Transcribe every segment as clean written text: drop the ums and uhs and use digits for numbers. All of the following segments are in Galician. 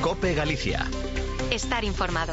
COPE Galicia. Estar informado.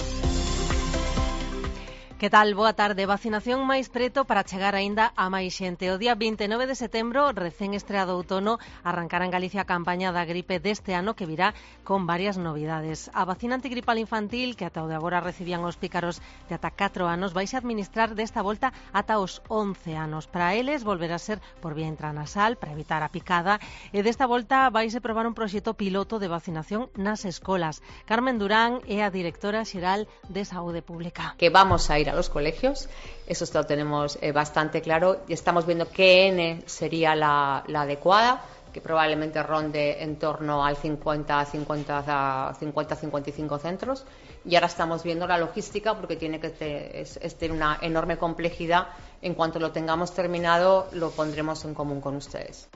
Que tal? Boa tarde. Vacinación máis preto para chegar aínda a máis xente. O día 29 de setembro, recén estreado outono, arrancará en Galicia a campaña da gripe deste ano que virá con varias novidades. A vacina antigripal infantil, que ata o de agora recibían os pícaros de ata 4 anos, vaise administrar desta volta ata os 11 anos. Para eles, volverá a ser por vía intranasal, para evitar a picada, e desta volta vaise probar un proxecto piloto de vacinación nas escolas. Carmen Durán é a directora xeral de Saúde Pública. Que vamos a ir a los colegios, eso lo tenemos bastante claro, y estamos viendo qué N sería la adecuada, que probablemente ronde en torno al 50-55 centros, y ahora estamos viendo la logística porque tiene que tener una enorme complejidad. En cuanto lo tengamos terminado, lo pondremos en común con ustedes.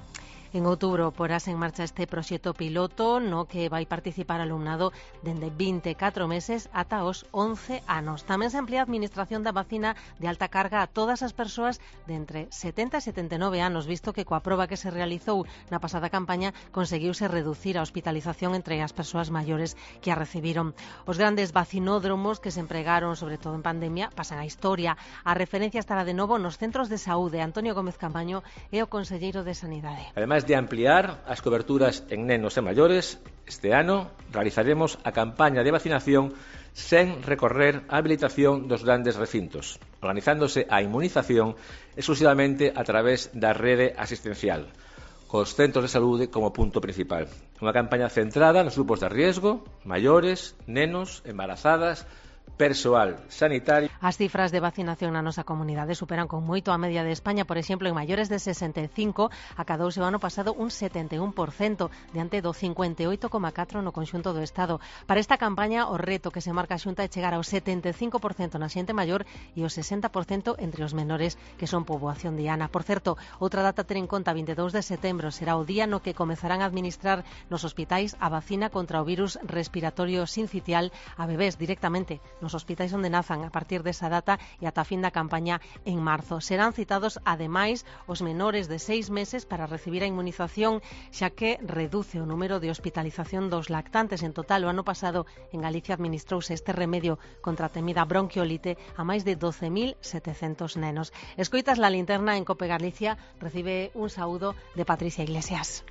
En outubro porase en marcha este proxecto piloto no que vai participar alumnado dende 24 meses ata os 11 anos. Tamén se amplía a administración da vacina de alta carga a todas as persoas de entre 70 e 79 anos, visto que coa proba que se realizou na pasada campaña conseguiuse reducir a hospitalización entre as persoas maiores que a recibiron. Os grandes vacinódromos que se empregaron, sobre todo en pandemia, pasan a historia. A referencia estará de novo nos centros de saúde. Antonio Gómez Campaño é o conselleiro de Sanidade. Ademais de ampliar as coberturas en nenos e maiores, este ano realizaremos a campaña de vacinación sen recorrer a habilitación dos grandes recintos, organizándose a inmunización exclusivamente a través da rede asistencial, cos centros de saúde como punto principal. Unha campaña centrada nos grupos de riesgo, maiores, nenos, embarazadas, persoal sanitario. As cifras de vacinación na nosa comunidade superan con moito a media de España. Por exemplo, en maiores de 65 acadouse o ano pasado un 71%, diante do 58,4% no conxunto do Estado. Para esta campaña, o reto que se marca a Xunta é chegar ao 75% na xente maior e ao 60% entre os menores, que son poboación diana. Por certo, outra data a ter en conta, 22 de setembro, será o día no que comezarán a administrar nos hospitais a vacina contra o virus respiratorio sincitial a bebés directamente nos hospitais onde nazan a partir desa data e ata a fin da campaña en marzo. Serán citados, ademais, os menores de 6 meses para recibir a inmunización, xa que reduce o número de hospitalización dos lactantes. En total, o ano pasado, en Galicia administrouse este remedio contra a temida bronquiolite a máis de 12.700 nenos. Escoitas la linterna en COPE Galicia, recibe un saúdo de Patricia Iglesias.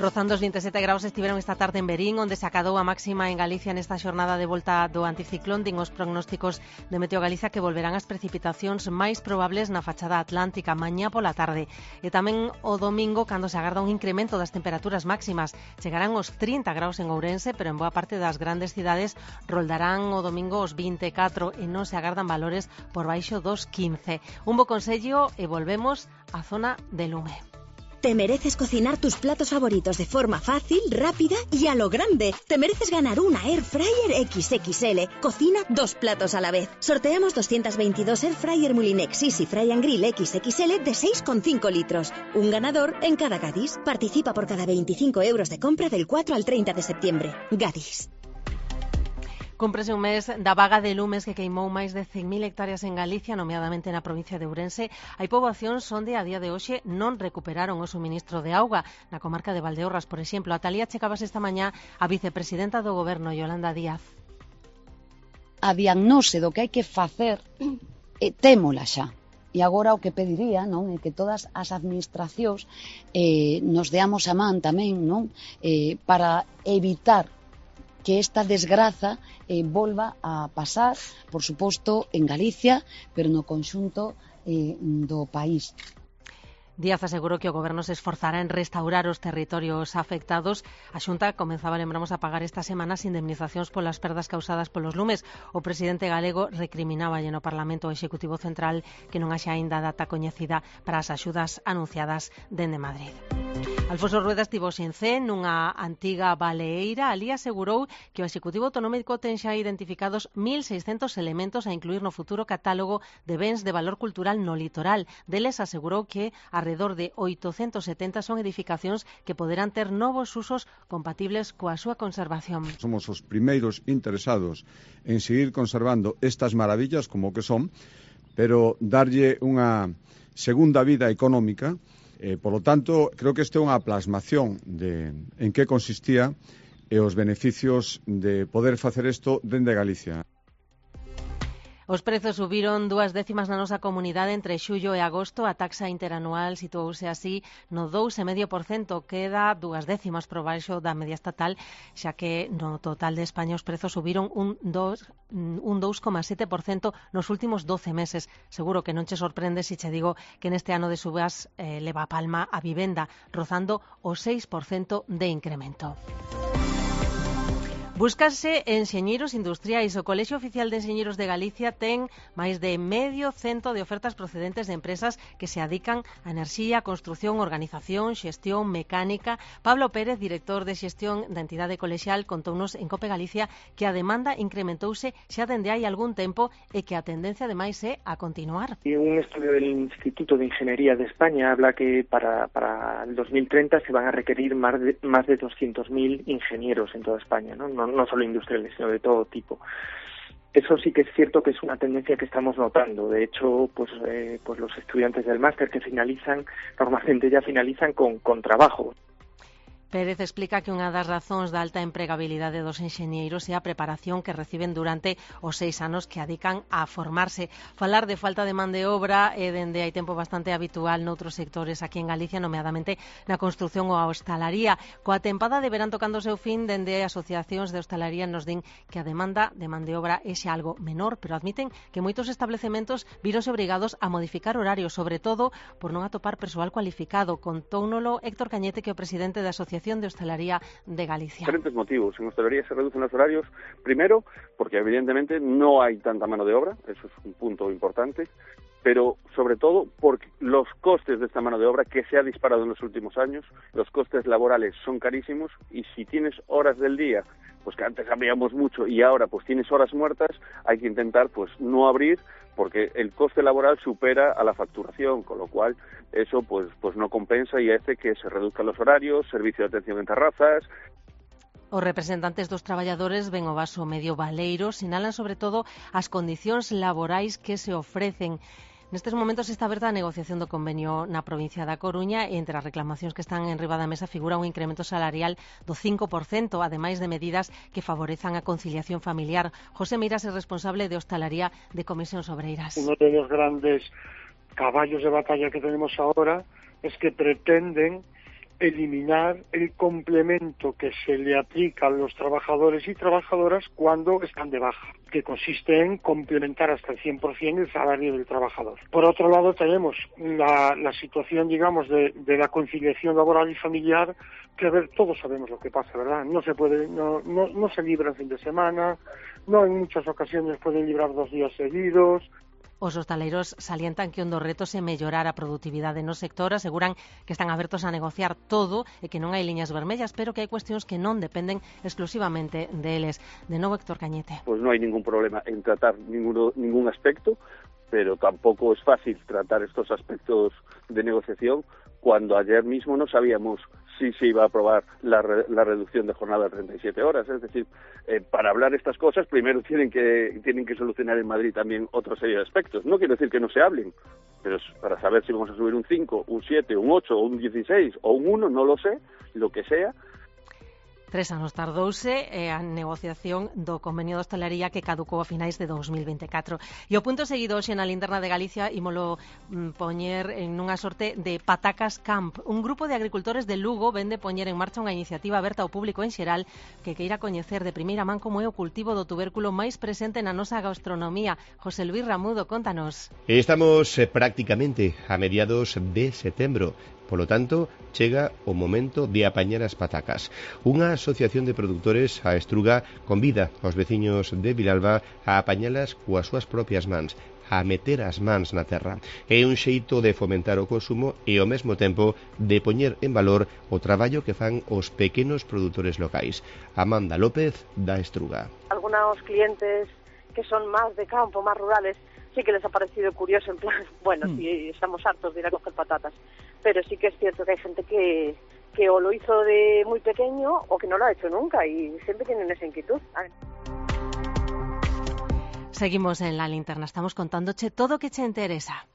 Rozando os 27 graus estiveron esta tarde en Verín, onde se acadou a máxima en Galicia nesta xornada de volta do anticiclón. Din os prognósticos de Meteo Galicia que volverán as precipitacións máis probables na fachada atlántica mañá pola tarde. E tamén o domingo, cando se agarda un incremento das temperaturas máximas. Chegarán os 30 graus en Ourense, pero en boa parte das grandes cidades roldarán o domingo os 24 e non se agardan valores por baixo dos 15. Un bo consello e volvemos á zona de Lume. Te mereces cocinar tus platos favoritos de forma fácil, rápida y a lo grande. Te mereces ganar una Air Fryer XXL. Cocina 2 platos a la vez. Sorteamos 222 Air Fryer Mulinex Easy Fry and Grill XXL de 6,5 litros. Un ganador en cada Gadis. Participa por cada 25 euros de compra del 4 al 30 de septiembre. Gadis. Cúmprese un mes da vaga de lumes que queimou máis de 100.000 hectáreas en Galicia, nomeadamente na provincia de Ourense. Hai poboacións onde a día de hoxe non recuperaron o suministro de auga. Na comarca de Valdeorras, por exemplo, a Talía checabas esta mañá a vicepresidenta do Goberno, Yolanda Díaz. A diagnose do que hai que facer témola xa. E agora o que pediría, non, é que todas as administracións nos deamos a man tamén, non, para evitar que esta desgraza volva a pasar, por suposto, en Galicia, pero no conxunto do país. Díaz asegurou que o Goberno se esforzará en restaurar os territorios afectados. A Xunta comenzaba, lembramos, a pagar esta semana as indemnizacións polas perdas causadas polos lumes. O presidente galego recriminaba no Parlamento Executivo Central que non haxa aínda data coñecida para as axudas anunciadas dende Madrid. Alfonso Rueda estivo en Cee, nunha antiga baleeira. Ali asegurou que o Executivo Autonómico ten xa identificados 1.600 elementos a incluir no futuro catálogo de bens de valor cultural no litoral. Deles asegurou que arredor de 870 son edificacións que poderán ter novos usos compatibles coa súa conservación. Somos os primeiros interesados en seguir conservando estas maravillas como que son, pero darlle unha segunda vida económica Por lo tanto, creo que isto é unha plasmación de en que consistía e os beneficios de poder facer isto dende Galicia. Os prezos subiron 2 décimas na nosa comunidade entre xullo e agosto. A taxa interanual situouse así no 2,5%, queda 2 décimas por baixo da media estatal, xa que no total de España os prezos subiron un 2,7% nos últimos 12 meses. Seguro que non che sorprende se che digo que neste ano de subas leva a palma a vivenda, rozando o 6% de incremento. Búscanse enxeñeiros industriais. O Colexio Oficial de Enxeñeiros de Galicia ten máis de medio cento de ofertas procedentes de empresas que se adican a enerxía, construción, organización, xestión, mecánica. Pablo Pérez, director de xestión da entidade colexial, contounos en COPE Galicia que a demanda incrementouse xa dende hai algún tempo e que a tendencia ademais é a continuar. Un estudio del Instituto de Ingeniería de España habla que para el 2030 se van a requerir más de 200.000 ingenieros en toda España, no solo industriales, sino de todo tipo. Eso sí que es cierto que es una tendencia que estamos notando. De hecho, pues los estudiantes del máster que finalizan, normalmente ya finalizan con trabajo. Pérez explica que unha das razóns da alta empregabilidade dos enxeñeiros é a preparación que reciben durante os 6 anos que adican a formarse. Falar de falta de man de obra é dende hai tempo bastante habitual noutros sectores aquí en Galicia, nomeadamente na construción ou a hostalaría. Coa tempada de verán tocando o seu fin, dende asociacións de hostalaría nos din que a demanda de man de obra é xa algo menor, pero admiten que moitos establecementos víronse obrigados a modificar horarios, sobre todo por non atopar persoal cualificado. Contóunolo Héctor Cañete, que é o presidente da Asociación de Hostelería de Galicia. Diferentes motivos. En hostelería se reducen los horarios, primero, porque evidentemente no hay tanta mano de obra, eso es un punto importante, pero sobre todo porque los costes de esta mano de obra, que se ha disparado en los últimos años, los costes laborales son carísimos, y si tienes horas del día, pues que antes habíamos mucho y ahora pues tienes horas muertas, hay que intentar pues no abrir, porque el coste laboral supera a la facturación, con lo cual eso pues no compensa y hace que se reduzcan los horarios, servicio de atención en terrazas. Os representantes dos traballadores ven o vaso medio baleiro, sinalan sobre todo as condicións laborais que se ofrecen. Nestes momentos está aberta a negociación do convenio na provincia da Coruña e entre as reclamacións que están en riba da mesa figura un incremento salarial do 5%, ademais de medidas que favorezan a conciliación familiar. José Miras é responsable de hostalaría de Comisións Obreiras. Uno de los grandes caballos de batalla que tenemos ahora es que pretenden eliminar el complemento que se le aplica a los trabajadores y trabajadoras cuando están de baja, que consiste en complementar hasta el 100% el salario del trabajador. Por otro lado, tenemos la situación, digamos, de la conciliación laboral y familiar, que, a ver, todos sabemos lo que pasa, ¿verdad? No se puede, no se libra el fin de semana, no en muchas ocasiones pueden librar 2 días seguidos. Os hostaleiros salientan que un dos retos é mellorar a produtividade no sector, aseguran que están abertos a negociar todo e que non hai liñas vermellas, pero que hai cuestións que non dependen exclusivamente deles. De novo, Héctor Cañete. Pues no hay ningún problema en tratar ningún aspecto, pero tampoco es fácil tratar estos aspectos de negociación cuando ayer mismo no sabíamos si se iba a aprobar la reducción de jornada a 37 horas. Es decir, para hablar estas cosas, primero tienen que solucionar en Madrid también otra serie de aspectos. No quiero decir que no se hablen, pero para saber si vamos a subir un 5, un 7, un 8, un 16 o un 1, no lo sé, lo que sea. 3 anos tardouse a negociación do convenio de hostalería que caducou a finais de 2024. E o punto seguido hoxe na linterna de Galicia ímolo poñer en unha sorte de Patacas Camp. Un grupo de agricultores de Lugo vende poñer en marcha unha iniciativa aberta ao público en xeral que queira coñecer de primeira man como é o cultivo do tubérculo máis presente na nosa gastronomía. José Luis Ramudo, contanos. Estamos prácticamente a mediados de setembro. Polo tanto, chega o momento de apañar as patacas. Unha asociación de produtores, a Estruga, convida aos veciños de Vilalba a apañalas coas súas propias mans, a meter as mans na terra. É un xeito de fomentar o consumo e ao mesmo tempo de poñer en valor o traballo que fan os pequenos produtores locais. Amanda López, da Estruga. Algunos clientes que son más de campo, más rurales, sí que les ha parecido curioso, en plan, bueno, si estamos hartos de ir a coger patatas, pero sí que es cierto que hay gente que o lo hizo de muy pequeño o que no lo ha hecho nunca y siempre tienen esa inquietud. Seguimos en la linterna, estamos contándoche todo o que che interesa.